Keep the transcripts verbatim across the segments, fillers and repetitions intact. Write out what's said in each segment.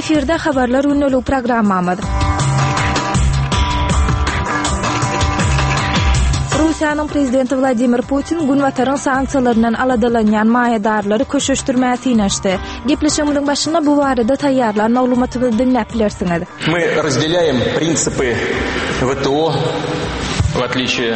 Efirde Habarlar gündeligi programmamyz. Russiýanyň prezidenti Wladimir Putin Günbataryň sanksiýalaryndan aladalanýan maýadarlary köşeşdirmäge synanyşdy. Gepleşigimiziň başynda bu barada taýýarlan maglumatymyzy diňläp bilersiňiz. Мы разделяем принципы ВТО, в отличие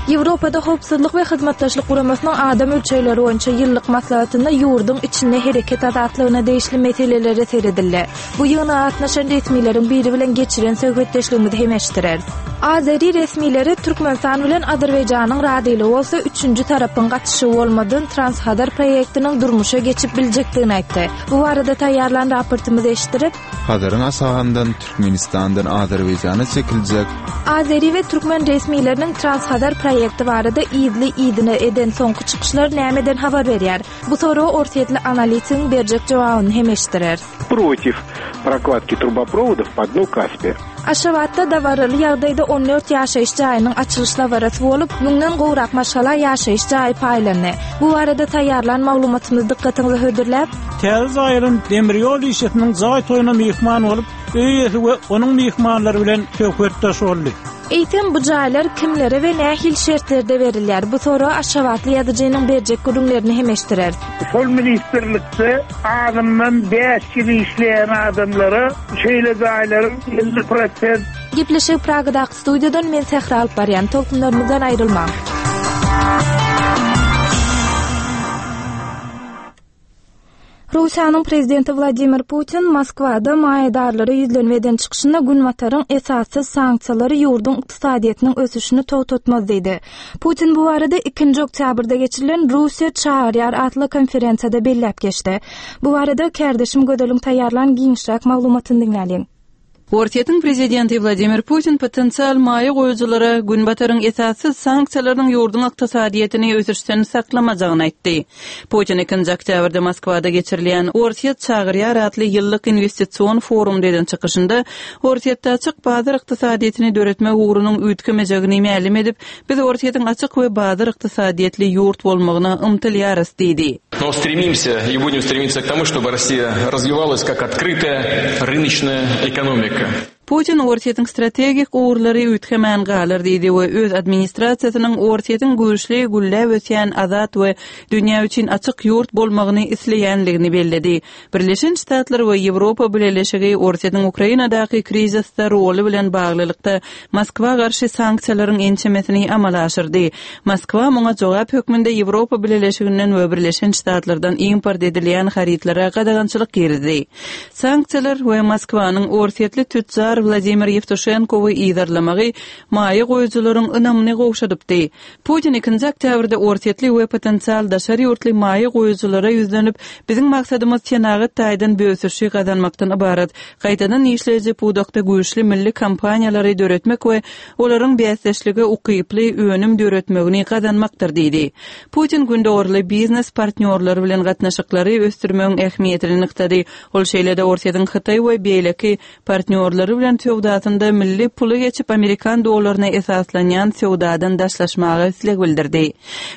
Ýewropada Howpsuzlyk we Hyzmatdaşlyk Guramasynyň adam ölçegleri boýunça ýyllyk maslahatynda ýurduň içinde hereket azatlygyna degişli meselelere seredildi. Bu ýygnaga gatnaşan resmileriň biri bilen geçiren söhbetdeşligimizi hem eşitdireris. Azeri resmileri Türkmenistan bilen Azerbaýjanyň razylygy bolsa üçünji tarapyň gatyşygy bolmadan Transhazar proýektiniň durmuşa geçip biljekdigini aýtdy. Bu barada taýýarlan raportymyzy eşitdirip, Hazaryň aşagyndan Türkmenistandan Azerbaýjana çekiljek Azeri we türkmen resmileriniň Transhazar proýekti barada yzly-yzyna eden soňky çykyşlary nämeden habar berýär? Bu soraga orsýetli analitigiň berjek jogabyny hem eşitdireris. Против прокладки трубопроводов по дну Каспия. Aşgabatda dabaraly ýagdaýda on dört ýaşaýyş jaýynyň açylyş dabarasy bolup, müňden gowrak maşgala ýaşaýyş jaýy paýlandy. Bu barada taýýarlan maglumatymyzy dykgatyňyza hödürläp, Täze jaýlaryň demir ýol işesiniň jaý toýuna myhman bolup, öý eýesi we onuň myhmanlary bilen söhbetdeş boldy. Eýsem bu jaýlar kimlere we nähili şertlerde berilýär? Bu soraga Aşgabatly ýazyjynyň berjek gürrüňlerini hem eşitdireris. Şol ministrlikde azyndan bäş ýyl işleýän adamlara şeýle jaýlaryň elli prosent Gepleşik Pragadaky studiýadan men Sähra alyp barýan. Tolkunlarymyzdan aýrylmaň. Russiýanyň prezidenti Wladimir Putin Moskwada maýadarlara ýüzlenme eden çykyşynda Günbataryň esassyz sanksiýalary ýurduň ykdysadyýetiniň ösüşini togtatmaz diýdi. Putin bu barada ikinji oktýabrda geçirilen Russiýa çagyrýar atly konferensiýada belläp geçdi. Bu barada kärdeşim Gözeliň taýýarlan giňişräk maglumatyny diňläliň. Orsýetiň prezidenti Wladimir Putin potensial maýa goýujylara Günbataryň esassyz sanksiýalarynyň ýurduň ykdysadyýetini ösüşden saklamajagyny aýtdy. Putin ikinji oktýabrda Moskwada geçirilýän Orsýet çagyrýar atly ýyllyk investision forumda eden çykyşynda Orsýetde açyk bazar ykdysadyýetini döretmek ugrunyň üýtgemejegini mälim edip, biz Orsýetiň açyk we bazar ykdysadyýetli ýurt bolmagyna ymtylýarys diýdi. Но стремимся и будем стремиться к тому, чтобы Россия развивалась как открытая рыночная экономика. Putin Orsýetiň strategik ugurlary üýtgemän galar diýdi we öz administrasiýasynyň Orsýetiň güýçli gülläp ösýän azat we dünýä üçin açyk ýurt bolmagyny isleýänligini belledi. Birleşen Ştatlar we Ýewropa Bileleşigi Orsýetiň Ukrainadaky krizisde roly bilen baglylykda Moskwa garşy sanksiýalaryň ençemesini amala aşyrdy. Moskwa muňa jogap hökmünde Ýewropa Bileleşiginden we Birleşen Ştatlardan import edilýän harytlara gadagançylyk girizdi. Sanksiýalar we Moskwanyň orsýetli tütjar Wladimir Ýewtuşenkowy yzarlamagy maýa goýujylaryň ynamyny gowşadypdy. Putin ikinji oktýabrda orsýetli we potensial daşary ýurtly maýa goýujylara ýüzlenip, biziň maksadymyz senagat taýdan bösüşi gazanmakdan ybarat, gaýtadan işleýji pudakda güýçli milli kompaniýalary döretmek we olaryň bäsdeşlige ukyply önüm döretmegini gazanmakdyr diýdi. Putin gündogurly biznes partnýorlary bilen gatnaşyklary ösdürmegiň ähmiýetini nygtady. Ol şeýle-de Orsýetiň Hytaý we beýleki partnýorlary bilen söwdasynda milli puly geçip Amerikan dollaryna esaslanýan söwdadan daşlaşmaga isleg bildirdi.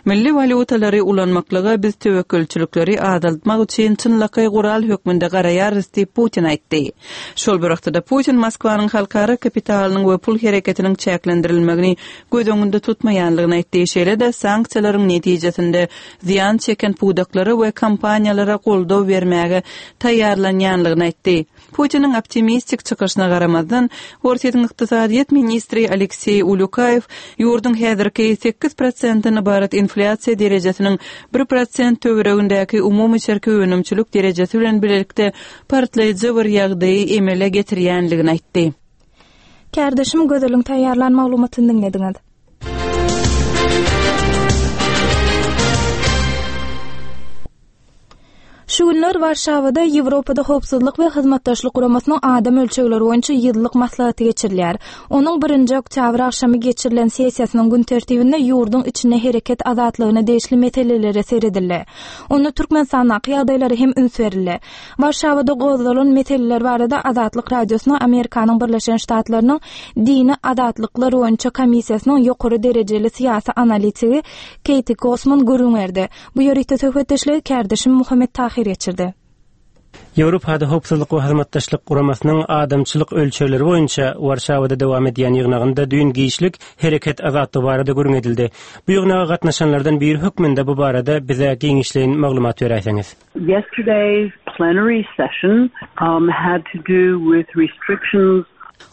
Milli walýutalary ulanmaklyga biz töwekgelçilikleri azaltmak üçin çynlakaý gural hökmünde garaýarys diýip Putin aýtdy. Şol bir wagtda Putin Moskwanyň halkara kapitalynyň we pul hereketiniň çäklendirilmegini göz öňünde tutmaýanlygyny aýtdy. Şeýle-de sanksiýalaryň netijesinde zyýan çeken pudaklara we kompaniýalara goldaw bermäge taýýarlanýanlygyny aýtdy. Putiniň optimistik çykyşyna garamazdan, Orsýetiň ykdysadyýet ministri Alekseý Ulýukaýew ýurduň häzirki sekiz prosentden ybarat inflýasiýa derejesiniň bir prosent töweregindäki umumy içerki önümçilik derejesi bilen birlikde partlaýjy bir ýagdaýy emele getirýänligini aýtdy. Kärdeşim Gözeliň taýýarlan maglumatyny diňlediňiz. Şu günler Warşawada Ýewropada Howpsuzlyk we Hyzmatdaşlyk Guramasynyň adam ölçegleri boýunça ýyllyk maslahaty geçirilýär. Onuň birinji oktýabr agşamy geçirilen sessiýasynyň gün tertibinde ýurduň içinde hereket azatlygyna degişli meselelere seredildi. Onda Türkmenistandaky ýagdaýlara hem üns berildi. Warşawada gozgalan meseleler barada Azatlyk Radiosyna Amerikanyň Birleşen Ştatlarynyň Dini Azatlyklar boýunça komissiýasynyň ýokary derejeli syýasy analitigi Keýti Kosman gürrüň berdi. Bu ýörite söhbetdeşligi kärdeşim Muhammet Tahir geçirdi. Ýewropada Howpsuzlyk we Hyzmatdaşlyk Guramasynyň adamçylyk ölçegleri boýunça Warşawada dowam edýän ýygnagynda düýn giçlik hereket azatlygy barada gürrüň edildi. Bu ýygnaga gatnaşanlardan biri hökmünde bu barada bize giňişleýin maglumat beräýseňiz. Yesterday's plenary session um, had to do with restrictions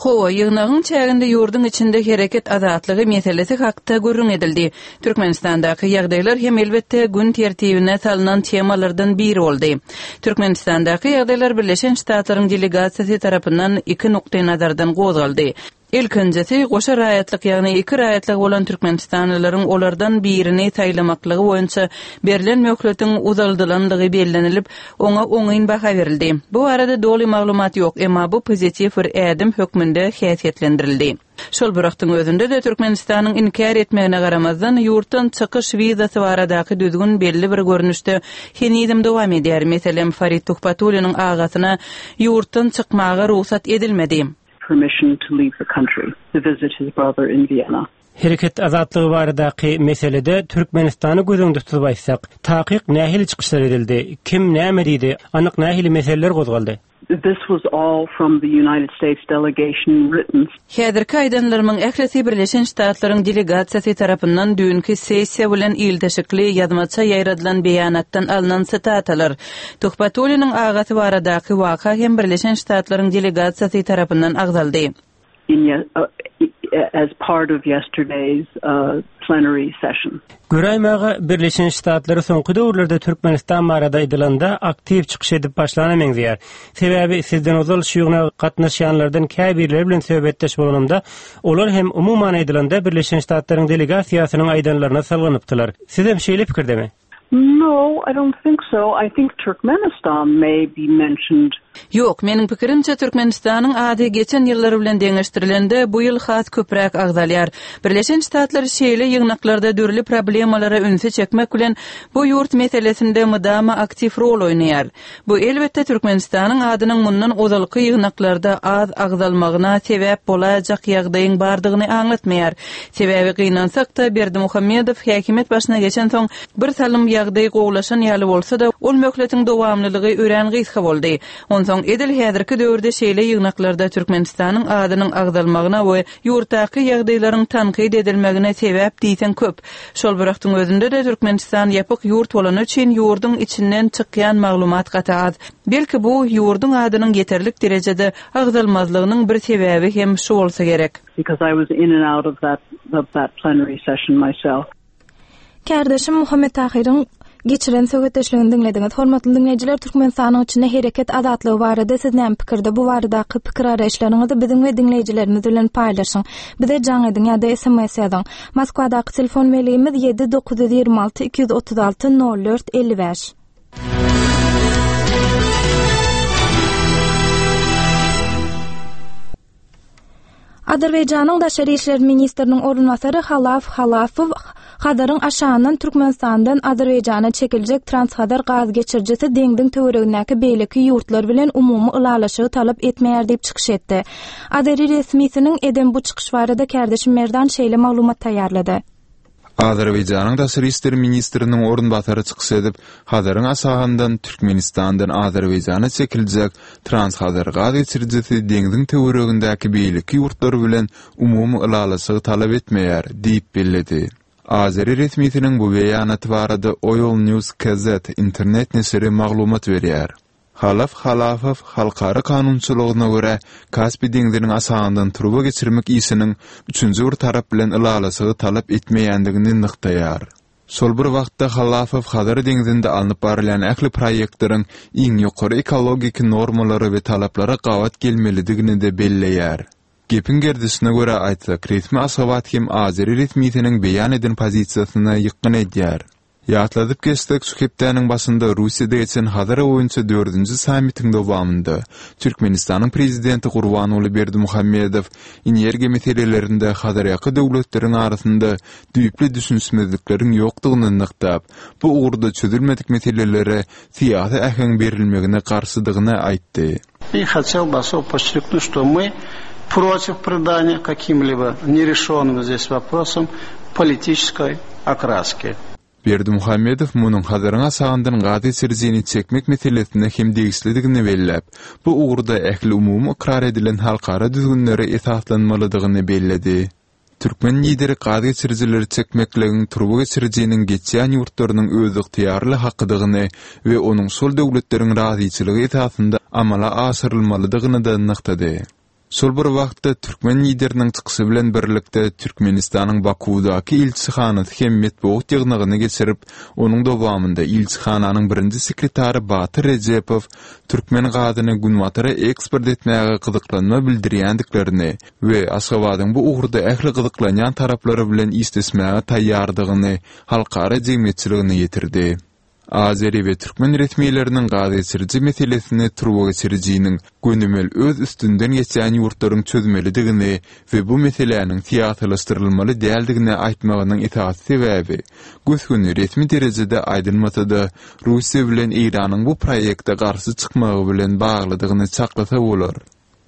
Hawa, ýygnagyň çäginde ýurduň içinde hereket azatlygy meselesi hakda gürrüň edildi. Türkmenistandaky ýagdaýlar hem elbetde gün tertibine salnan temalardan biri boldy. Türkmenistandaky ýagdaýlar Birleşen Ştatlaryň delegasiýasy tarapyndan iki nukdaýnazardan gozgaldy. Ilkinjisi, goşa raýatlyk, ýagny iki raýatlygy bolan türkmenistanlylaryň olardan birini saýlamaklygy boýunça berlen möhletiň uzaldylandygy bellenilip, oňa oňyn baha berildi. Bu barada doly maglumat ýok, emma bu pozitiw bir ädim hökmünde häsiýetlendirildi. Şol bir wagtyň özünde-de Türkmenistanyň inkär etmegine garamazdan, ýurtdan çykyş wizasy baradaky düzgün belli bir görnüşde henizem dowam edýär. Meselem, Farid Tuhbatulliniň agasyna ýurtdan çykmaga rugsat edilmedi. permission to leave the country to visit his brother in Vienna. Hereket azatlygy baradaky meselede Türkmenistany göz öňünde tutup aýtsak, takyk nähili çykyşlar edildi, kim näme diýdi, anyk nähili meseleler gozgaldy? This was all from the United States delegation written. Häzirki aýdanlarymyň ählisi Birleşen Ştatlaryň delegasiýasy tarapyndan düýnki sessiýa bilen ilteşikli ýazmaça ýaýradylan beýanatdan alnan sitatalar. Tuhbatulliniň agasy baradaky waka hem Birleşen Ştatlaryň delegasiýasy tarapyndan agzaldy. In, uh, as part of yesterday's uh, plenary session. Göräýmäge Birleşen Ştatlary soňky döwürlerde Türkmenistan barada aýdylanda aktiw çykyş edip başlana meňzeýär. Sebäbi sizden ozal şu ýygnaga gatnaşýanlardan käbirleri bilen söhbetdeş bolanymda, olar hem umuman aýdylanda Birleşen Ştatlaryň delegasiýasynyň aýdanlaryna salganypdylar. Siz hem şeýle pikirdemi? No, I don't think so. I think Turkmenistan may be mentioned. Ýok, meniň pikirimçe Türkmenistanyň ady geçen ýyllar bilen deňeşdirilende bu ýyl has köpräk agzalýar. Birleşen Ştatlar şeýle ýygnaklarda dürli problemalara ünsi çekmek bilen bu ýurt meselesinde mydama aktiw rol oýnaýar. Bu elbetde Türkmenistanyň adynyň mundan ozalky ýygnaklarda az agzalmagyna sebäp bolaýjak ýagdaýyň bardygyny aňlatmaýar. Sebäbi gynansak-da Berdimuhamedow häkimiýet başyna geçen soň bir salym ýagdaý gowulaşan ýaly bolsa-da, ol möhletiň dowamlylygy örän gysga boldy. Onsoň edil häzirki döwürde şeýle ýygnaklarda Türkmenistanyň adynyň agzalmagyna we ýurtdaky ýagdaýlaryň tankyt edilmegine sebäp diýseň köp. Şol bir wagtyň özünde-de Türkmenistan ýapyk ýurt bolany üçin ýurduň içinden çykýan maglumat gaty az. Belki bu ýurduň adynyň ýeterlik derejede agzalmazlygynyň bir sebäbi hem şu bolsa gerek. Because I was in and out of that of that plenary session myself. Kärdeşim Muhammet Tahyryň geçiren söhbetdeşligini diňlediňiz. Hormatly diňleýjiler, Türkmenistanyň içinde hereket azatlygy barada siz näme pikirde? Bu baradaky pikir garaýyşlaryňyzy biziň we diňleýjilerimiz bilen paýlaşyň. Bize jaň ediň ýa-da S M S ýazyň. Moskwadaky telefon belgimiz ýedi dokuz ýüz ýigrimi alty iki ýüz otuz alty nol dört elli bäş. Azerbaýjanyň Daşary işler ministriniň orunbasary Halaf Halafow Hazaryň aşagyndan Türkmenistandan Azerbaýjana çekiljek Transhazar gaz geçirijisi deňziň töweregindäki beýleki ýurtlar bilen umumy ylalaşygy talap etmeýär diýip çykyş etdi. Azeri resmisiniň eden bu çykyş barada kärdeşim Merdan şeýle maglumat taýýarlady. Azerbaýjanyň Daşary işler ministriniň orunbasary çykyş edip, Hazaryň aşagyndan Türkmenistandan Azerbaýjana çekiljek Transhazar gaz geçirijisi deňziň töweregindäki beýleki ýurtlar bilen umumy ylalaşygy talap etmeýär diýip belledi. Azeri resmisiniň bu beýanaty barada Oil News K Z internet neşiri maglumat berýär. Halaf Halafow halkara kanunçylygyna görä Kaspi deňziniň aşagyndan turba geçirmek işiniň üçünji bir tarap bilen ylalaşygy talap etmeýändigini nygtaýar. Şol bir wagtda Halafow Hazar deňzinde alnyp barylýan ähli proýektleriň iň ýokary ekologik normalara we talaplara gabat gelmelidigini de belleýär. Gepiň gerdişine görä aýtsak, resmi Aşgabat hem Azeri resmisiniň beýan eden pozisiýasyna ýykgyn edýär. Ýatladyp geçsek, şu hepdäniň başynda Russiýada geçen Hazar boýunça dördünji sammitiň dowamynda Türkmenistanyň prezidenti Gurbanguly Berdimuhamedow energiýa meselelerinde Hazarýaka döwletleriň arasynda düýpli düşünişmezlikleriň ýokdugyny nygtap, bu ugurda çözülmedik meselelere syýasy äheň berilmegine garşydygyny aýtdy. И хотел бы особо подчеркнуть, что мы против придания каким-либо нерешенным здесь вопросам политической окраски. Berdimuhamedow munuň Hazaryň aşagyndan gaz geçirijini çekmek meselesine hem degişlidigini belläp, bu ugurda ähliumumy ykrar edilen halkara düzgünlere esaslanmalydygyny belledi. Türkmen lideri gaz geçirijileri çekmekligiň turba geçirijiniň geçýän ýurtlarynyň özygtyýarly hakydygyny we onuň şol döwletleriň razyçylygy esasynda amala aşyrylmalydygyny-da nygtady. Şol bir wagtda türkmen lideriniň çykyşy bilen birlikde Türkmenistanyň Bakuwdaky ilçihanasy hem metbugat ýygnagyny geçirip, onuň dowamynda ilçihananyň birinji sekretary Batyr Rejepow türkmen gazyny Günbatara eksport etmäge gyzyklanma bildirýändiklerini we Aşgabadyň bu ugurda ähli gyzyklanýan taraplary bilen işleşmäge taýýardygyny halkara jemgyýetçiligine ýetirdi. Azeri we türkmen resmileriniň gazgeçiriji meselesini turbageçirijiniň gönümel öz üstünden geçýän ýurtlaryň çözmelidigini we bu meseläniň syýasylaşdyrylmaly däldigini aýtmagynyň esasy sebäbi, gös-göni resmi derejede aýdylmasa-da, Russiýa bilen Eýranyň bu proýekte garşy çykmagy bilen baglydygyny çaklasa bolar.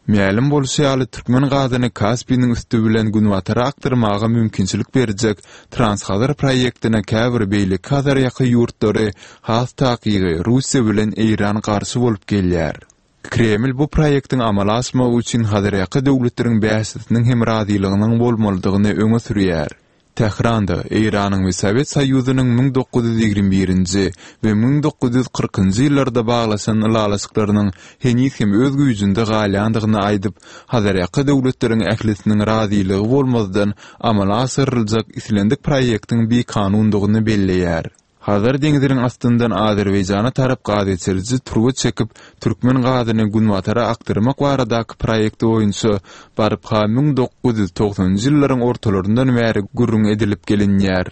Mälim bolşy ýaly, türkmen gazyny Kaspiniň üsti bilen Günbatara akdyrmaga mümkinçilik berjek Transhazar proýektine käbir beýleki Hazarýaka ýurtlary, has takygy, Russiýa bilen Eýran garşy bolup gelýär. Kreml bu proýektiň amala aşmagy üçin Hazarýaka döwletleriň bäşisiniň hem razylygynyň bolmalydygyny öňe sürýär. Tähranda Eýranyň we Sowet Soýuzynyň müň dokuz ýüz ýigrimi birinji we müň dokuz ýüz kyrkynjy ýyllarda baglaşan ylalaşyklarynyň heniz hem öz güýjünde galýandygyny aýdyp, Hazarýaka döwletleriň ählisiniň razylygy bolmazdan amala aşyryljak islendik proýektiň bikanundygyny belleýär. Hazar deňziniň astyndan Azerbaýjana tarap gazgeçiriji turba çekip, türkmen gazyny Günbatara akdyrmak baradaky proýekti boýunça baryp-ha müň dokuz ýüz togsanynjy ýyllaryň ortalaryndan bäri gürrüň edilip gelinýär.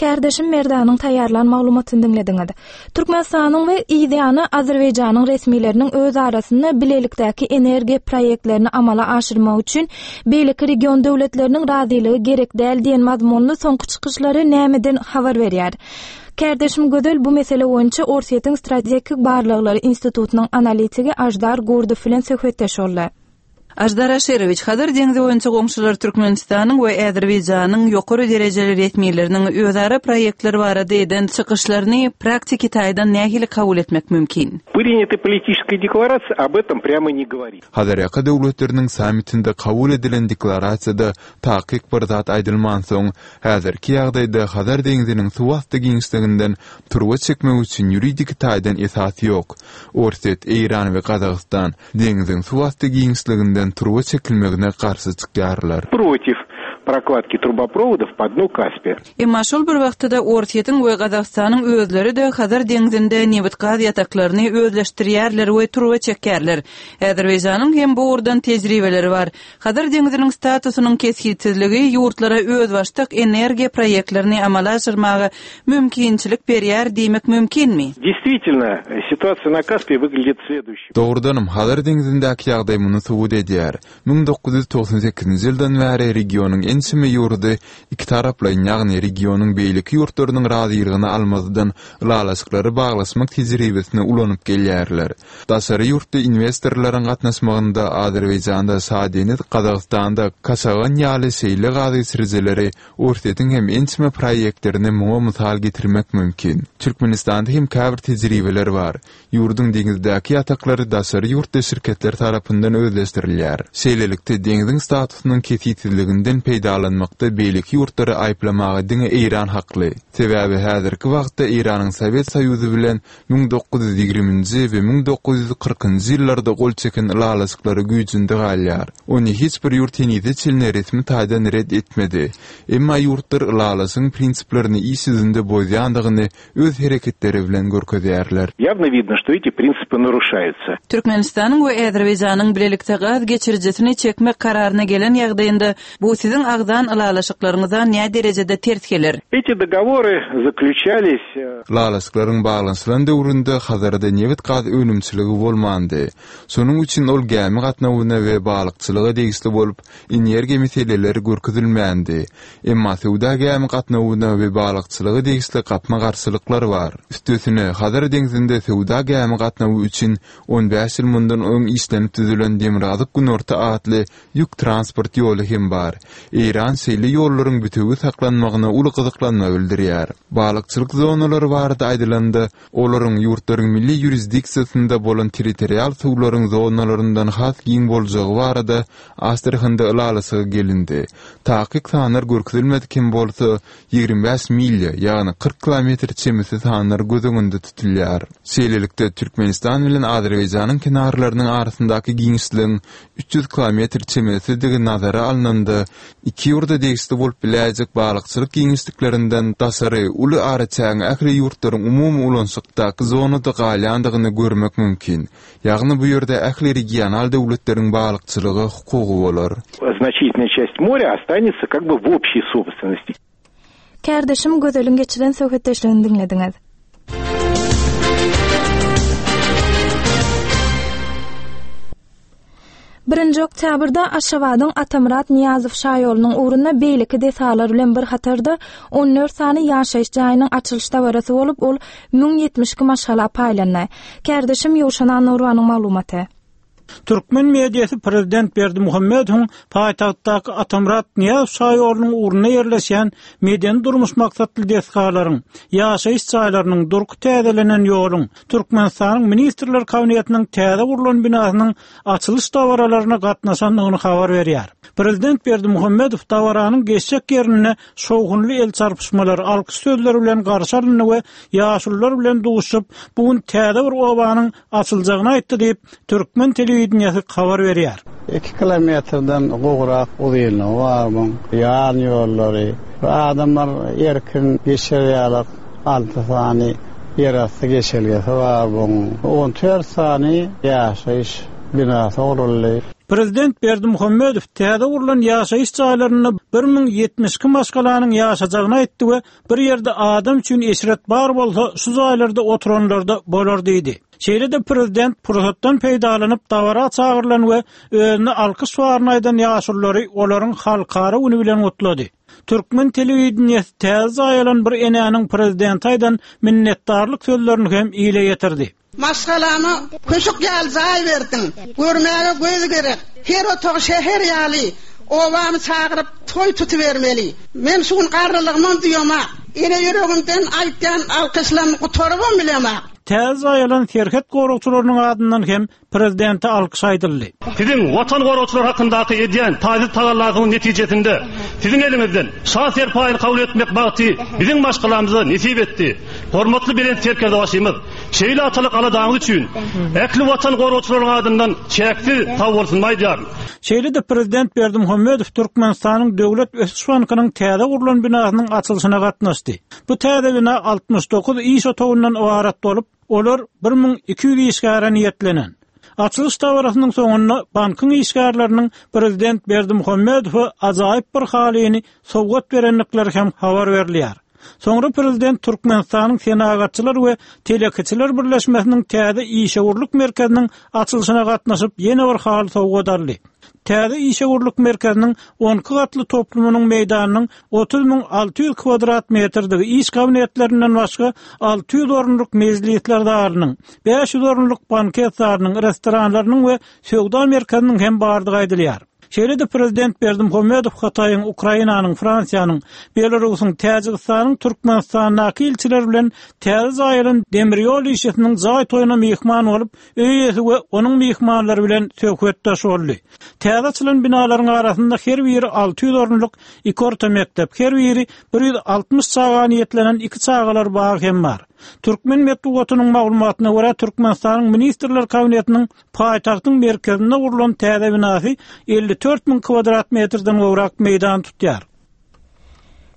Kärdeşim Merdanyň taýýarlan maglumatyny diňlediňiz. Türkmenistanyň we yzýany Azerbaýjanyň resmileriniň öz arasynda bilelikdäki energiýa proýektlerini amala aşyrmak üçin beýleki region döwletleriniň razylygy gerek däl diýen mazmunly soňky çykyşlary nämeden habar berýär? Kärdeşim Gözel bu mesele boýunça Orsýetiň Strategik barlaglary institutynyň analitigi Aždar Gurdow bilen söhbetdeş boldy. Aždar Aşyrowiç, Hazar deňzi boýunça goňşular Türkmenistanyň we Azerbaýjanyň ýokary derejeli resmileriniň özara proýektler barada eden çykyşlaryny praktiki taýdan nähili kabul etmek mümkin? Принятая политическая декларация об этом прямо не говорит. Hazarýaka döwletleriniň sammitinde kabul edilen deklarasiýada takyk bir zat aýdylmansoň, häzirki ýagdaýda Hazar deňziniň suwasty giňişliginden turba çekmek üçin ýuridiki taýdan esas ýok. Orsýet, Eýran we Gazagystan deňziň suwasty giňişliginden turba çekilmegine garşy çykýarlar. Против прокладки трубопроводов по дну Каспия. Emma şol bir wagtda Orsýetiň we Gazagystanyň özleri-de Hazar deňzinde nebit gaz ýataklaryny özleşdirýärler we turba çekýärler. Azerbaýjanyň hem bu ugurdan tejribeleri bar. Hazar deňziniň statusynyň kesgitsizligi ýurtlara özbaşdak energiýa proýektlerini amala aşyrmaga mümkinçilik berýär diýmek mümkinmi? Действительно, ситуация на Каспии выглядит следующей. Dogrudanam Hazar deňzindäki ýagdaý muny subut edýär. Müň dokuz ýüz togsan sekizinji ýyldan bäri regionyň ençeme ýurdy iki taraplaýyn, ýagny regionyň beýleki ýurtlarynyň razylygyny almazdan ylalaşyklary baglaşmak tejribesini ulanyp gelýärler. Daşary ýurtda investorlaryň gatnaşmagynda Azerbaýjanda, Şadeniz, Gazagystanda, Kaşagan ýaly şeýle gaz geçirijileri Orsýetiň hem ençeme proýektlerini muňa mysal getirmek mümkin. Türkmenistanda hem käbir tejribeler bar. Ýurduň deňizdäki ýataklary daşary ýurtda şirketler tarapyndan özleşdirilýär. Şeýlelikde deňziň statusynyň kesgitsizliginden peýdalanmakda beýleki ýurtlary aýyplamaga diňe Eýran hakly. Sebäbi häzirki wagtda Eýranyň Sowet Soýuzy bilen müň dokuz ýüz ýigriminji we müň dokuz ýüz kyrkynjy ýyllarda gol çeken ylalaşyklary güýjünde galýar. Ony hiç bir ýurt henize çenli resmi taýdan red etmedi. Emma ýurtlar ylalaşygyň prinsiplerini iş ýüzünde bozýandygyny öz hereketleri bilen görkezýärler. Явно видно, что эти принципы нарушаются. Türkmenistanyň we Azerbaýjanyň bilelikde gaz geçirijisini çekmek kararyna gelen ýagdaýynda bu siziň agzan ylalaşyklaryňyza näme derejede ters geler? Эти договоры заключались, э, Ylalaşyklaryň baglanyşylan döwründe Hazarda nebit gaz önümçiligi bolmandy. Şonuň üçin ol gämi gatnawyna we balykçylyga degişli bolup, energiýa meseleleri görkezilmändi. Emma söwda gämi gatnawyna we balykçylyga degişli gapma-garşylyklar bar. Üstesine Hazar deňzinde söwda gämi gatnawy üçin on bäş ýyl mundan öň işlenip düzülen Demirgazyk Günorta atly ýük transport ýoly hem bar. Eýran şeýle ýollaryň bütewi saklanmagyna uly gyzyklanma bildirýär. Balykçylyk zonalary barada aýdylanda, olaryň ýurtlaryň milli ýurisdiksiýasynda bolan territorial suwlaryň zonalaryndan has giň boljagy barada Astrakhanda ylalaşyga gelindi. Takyk sanlar görkezilmedik hem bolsa, ýigrimi bäş milýa, ýagny kyrk kilometr çemesi sanlar göz öňünde tutulýar. Şeýlelikde, Türkmenistan bilen Azerbaýjanyň kenarlarynyň arasyndaky giňişligiň üç ýüz kilometr çemesidigi nazara alnanda, iki ýurda degişli bolup biläýjek balykçylyk giňişliklerinden daşary uly araçägiň ähli ýurtlaryň umumy ulanyşykdaky zonada galýandygyny görmek mümkin. Ýagny bu ýerde ähli regional döwletleriň balykçylyga hukugy bolar. Значительная часть моря останется как бы в общей собственности. Kärdeşim Gözeliň geçiren söhbetdeşligini diňlediňiz. Birinji oktýabrda Aşgabadyň Atamyrat Nyýazow şaýolunyň ugrunda beýleki desgalar bilen bir hatarda on dört sany ýaşaýyş jaýynyň açylyş dabarasy bolup, ol müň ýetmiş iki maşgala paýlandy. Kärdeşim Ýowşan Annagurbanyň maglumaty. Türkmen mediasy Prezident Berdimuhamedowyň paýtagtdaky Atamyrat Nyýazow şaýolunyň ugrunda ýerleşýän medeni durmuş maksatly desgalaryň, ýaşaýyş jaýlarynyň, durky täzelenen ýoluň, Türkmenistanyň Ministrler Kabinetiniň täze gurlan binasynyň açylyş dabaralaryna gatnaşandygyny habar berýär. Prezident Berdimuhamedow dabaranyň geçjek ýerinde şowhunly el çarpyşmalar, alkyş sözleri bilen garşy alyndy we ýaşulular bilen duşup, bu gün täze bir obanyň açyljagyny aýtdy diýip, Türkmen telewideniýesi habar berýär. Iki kilometrden gowrak uzynlygy bar muň, ýan ýollary, adamlar erkin geçer ýaly alty sany ýerasty geçelgesi bar muň, on dört sany ýaşaýyş binasy guruldy. Prezident Berdimuhamedow täze gurlan ýaşaýyş jaýlarynda bir müň ýetmiş iki maşgalanyň ýaşajagyny aýtdy we bir ýerde adam üçin eşret bar bolsa şu jaýlarda oturanlarda bolar diýdi. Şeýle-de prezident pursatdan peýdalanyp dabara çagyrylan we özüne alkyş baryny aýdan ýaşululary olaryň halkara güni bilen gutlady. Türkmen telewideniýesi täze jaý alan bir enäniň prezidente aýdan minnetdarlyk sözlerini hem ile ýetirdi. Maşgalama köşük ýaly jaý berdiň. Görmäge göz gerek. Her otag şäher ýaly. Obamy çagyryp toý tutubermeli. Men şu gün garrylygymam duýamak. Ene ýüregimden aýtýan alkyşlaryny gutarybam bilemak. Täze jaý alan serhet goragçylarynyň adyndan hem prezidente alkyş aýdyldy. Siziň watan goragçylary hakyndaky edýän taýsyz tagallaryň netijesinde siziň eliňizden şa serpaýyny kabul etmek bagty biziň maşgalamyza nesip etdi. Hormatly belent serkerdebaşymyz, şeýle atalyk aladaňyz üçin ähli watan goragçylaryň adyndan çäksiz sag bolsun aýdýaryn. Şeýle-de prezident Berdimuhamedow Türkmenistanyň Döwlet Ösüş Bankynyň täze gurlan binasynyň açylyşyna gatnaşdy. Bu täze bina altmyş dokuz iş otagyndan ybarat bolup, olar bir müň iki ýüz işgäre niýetlenen. Açylyş dabarasynyň soňunda bankyň işgärleriniň prezident Berdimuhamedowa ajaýyp bir halyny sowgat berendikleri hem habar berilýär. Soňra prezident Türkmenistanyň Senagatçylar we Telekeçiler Birleşmesiniň täze işewürlik merkeziniň açylyşyna gatnaşyp ýene bir haly sowgat aldy. Täze işewürlik merkeziniň on iki gatly toplumynyň meýdanynyň otuz müň alty ýüz kvadrat metrdigi iş kabinetlerinden başga alty ýüz orunlyk mejlisler zalynyň, bäş ýüz orunlyk banket zalynyň, restoranlarynyň we söwda merkeziniň hem bardygy aýdylýar. Şeýle-de prezident Berdimuhamedow Hytaýyň, Ukrainanyň, Fransiýanyň, Belarusyň, Täjigistanyň, Türkmenistandaky ilçiler bilen täze jaý alan demir ýol işçisiniň jaý toýuna myhman bolup, öý eýesi we onuň myhmanlary bilen söhbetdeş boldy. Täze açylan binalaryň arasynda her biri alty ýüz orunlyk iki orta mekdep, her biri bir ýüz altmyş çaga niýetlenen iki çagalar bagy hem bar. Türkmen metbugatynyň maglumatyna görä Türkmenistanyň Ministrler Kabinetiniň paýtagtyň merkezinde gurlan täze binasy elli dört müň kvadrat metrden gowrak meýdan tutýar.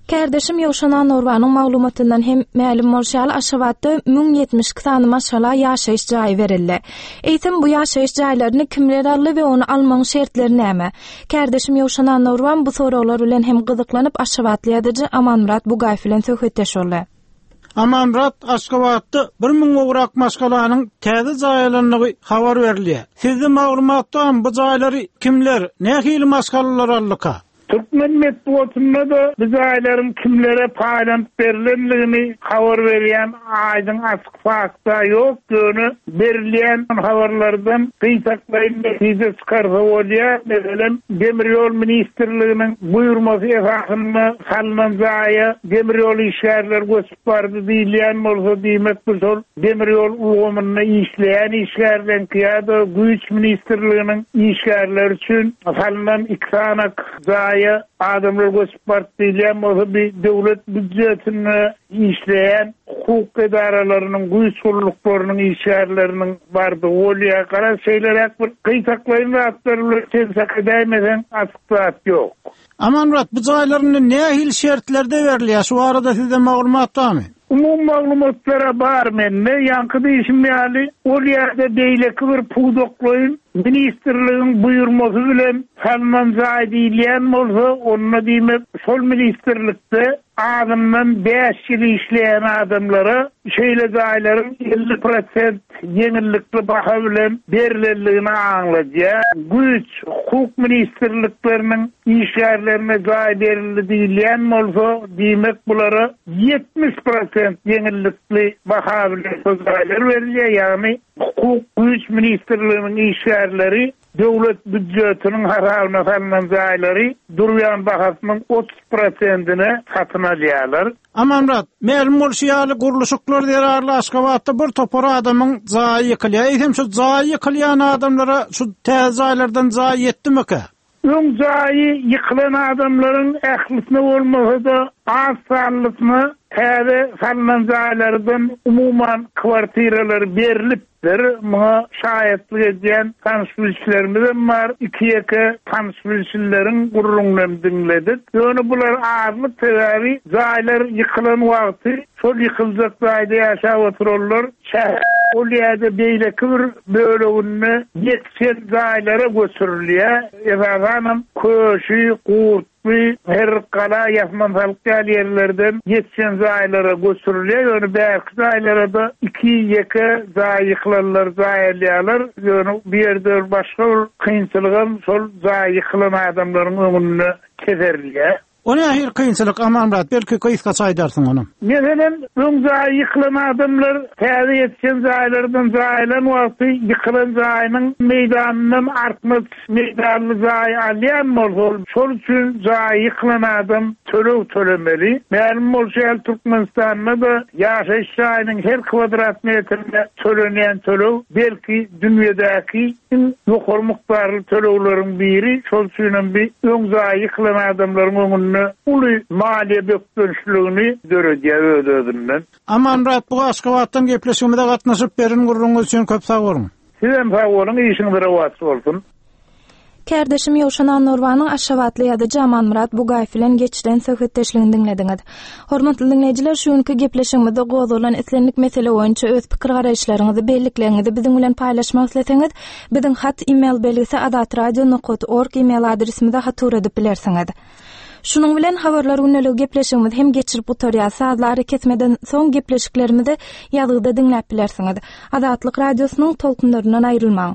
Kärdeşim Ýowşan Annagurbanyň maglumatyndan hem mälim bolşy ýaly Aşgabatda müň ýetmiş iki sany maşgala ýaşaýyş jaýy berildi. Eýsem bu ýaşaýyş jaýlaryny kimler aldy we ony almagyň şertleri näme? Kärdeşim Ýowşan Annagurban bu soraglar bilen hem gyzyklanyp Aşgabatly ýazyjy Amanmyrat Bugaýew bilen söhbetdeş boldy. Amanmyrat, Aşgabatda bir müň gowrak maşgalanyň täze jaý alandygy habar berilýär. Sizde maglumatda bu jaýlary kimler, nähili maşgalalar aldyka? Türkmen metbugatynda-da bu jaýlaryň kimlere paýlanyp berlendigini habar berýän aýdyň açyk fakta ýok, ýöne berilýän habarlardan gytaklaýyn netije çykarsa bolýar. Meselem, Demir ýol ministrliginiň buýurmasy esasynda salnan jaýa demir ýol işgärleri göçüp bardy diýilýän bolsa, diýmek bu şol demir ýol ulgamynda işleýän işgärleriňki ýa-da güýç ministrliginiň işgärleri üçin salnan iki sanak jaýa adamlar göçüp bardy diýilýän bolsa, bir döwlet býujetinde işleýän hukuk edaralarynyň, güýç gulluklarynyň işgärleriniň bardygy bolýar. Garaz, şeýleräk bir gytaklaýyn zatlar bilen sen çak edäýmeseň, açyk zat ýok. Amanmyrat, bu jaýlaryň nähili şertlerde berilýär? Şu barada sizde maglumat barmy? Umumy maglumatlara bar mende, ýaňky diýişim ýaly, ol ýerde beýleki bir pudaklaýyn ministrligiň buýurmasy bilen salnan jaý diýilýän bolsa, onda diýmek şol ministrlikde azyndan bäş ýyl işleýän adamlara şeýle jaýlaryň elli prosent ýeňillikli baha bilen berilendigini aňladýar. Güýç, hukuk ministrlikleriniň işgärlerine jaý berildi diýilýän bolsa, diýmek bulara ýetmiş prosent ýeňillikli baha bilen şol jaýlar berilýär, ýagny hukuk güýç ministrliginiň işgärleri döwlet býujetiniň hasabyna salnan jaýlary durýan bahasynyň otuz prosentine satyn alýarlar. Amanmyrat, mälim bolşy ýaly gurluşyklar zerarly Aşgabatda bir topar adamyň jaýy ýykylýar. Eýsem şu jaýy ýykylýan adamlara şu täze jaýlardan jaý ýetdimikä? Öň jaýy ýykylan adamlaryň ählisine bolmasa-da az sanlysyna täze salnan jaýlardan umuman kwartiralar berilipdir. Muňa şaýatlyk edýän tanyş bilişlerimiz bar. Iki ýeke tanyş bilişleriň gurrundan diňledik. Ýöne bular azlyk sebäbi jaýlar ýykylan wagty şol ýykyljak jaýda ýaşap oturanlar şäher ol ýerde beýleki bir böleginde ýetişen jaýlara göçürilýär. Esasanam köşi, gurtly, her gala ýasman salyk ýaly ýerlerden ýetişen jaýlara göçürilýär. Ýöne bärki jaýlara da iki ýeke jaý ýykylanlar jaý alýarlar. Ýöne bu ýerde başga bir kynçylygam şol jaý ýykylan adamlaryň öňünde keserilýär. O nähili kynçylyk Amanmyrat, belki gysgaça aýdarsyň ony. Meselem, öň jaý ýykylan adamlar täze ýetişen jaýlardan jaýlan wagty ýykylan jaýynyň meýdanyndan artmaç meýdanly jaý alýan bolsa, şol üçin jaý ýykylan adam töleg tölemeli. Mälim bolşy ýaly Türkmenistanda da ýaşaýyş jaýynyň her kwadrat metrine tölenýän töleg belki dünýädäki iň ýokary mukdarly tölegleriň biri. Şol üçin hem bir öň jaý ýykylan adamlaryň öňünde uly maliýe bökdençligini döredýär öz-özünden. Amanmyrat, bu Aşgabatdan gepleşigimize gatnaşyp berin gurruňyz üçin köp sag boluň. Sizem sag boluň, işiňiz rowaç bolsun. Kärdeşim Ýowşan Annurbanyň Aşgabatly ýazyjy Amanmyrat Bugaýew bilen geçiren söhbetdeşligini diňlediňiz. Hormatly diňleýjiler, şu günki gepleşigimizde gozgalan islendik mesele boýunça öz pikir garaýyşlaryňyzy, bellikleriňizi biziň bilen paýlaşmak isleseňiz, biziň hat e-mail belgisi azatradio nokta org e-mail adresimize hat ugradyp bilersiňiz. Şunuň bilen habarlar gündeligi gepleşigimizi hem geçirip gutarýar. Sazlary kesmeden soň gepleşiklerimizi ýazgyda diňläp bilersiňiz. Azatlyk radiosynyň tolkunlaryndan aýrylmaň.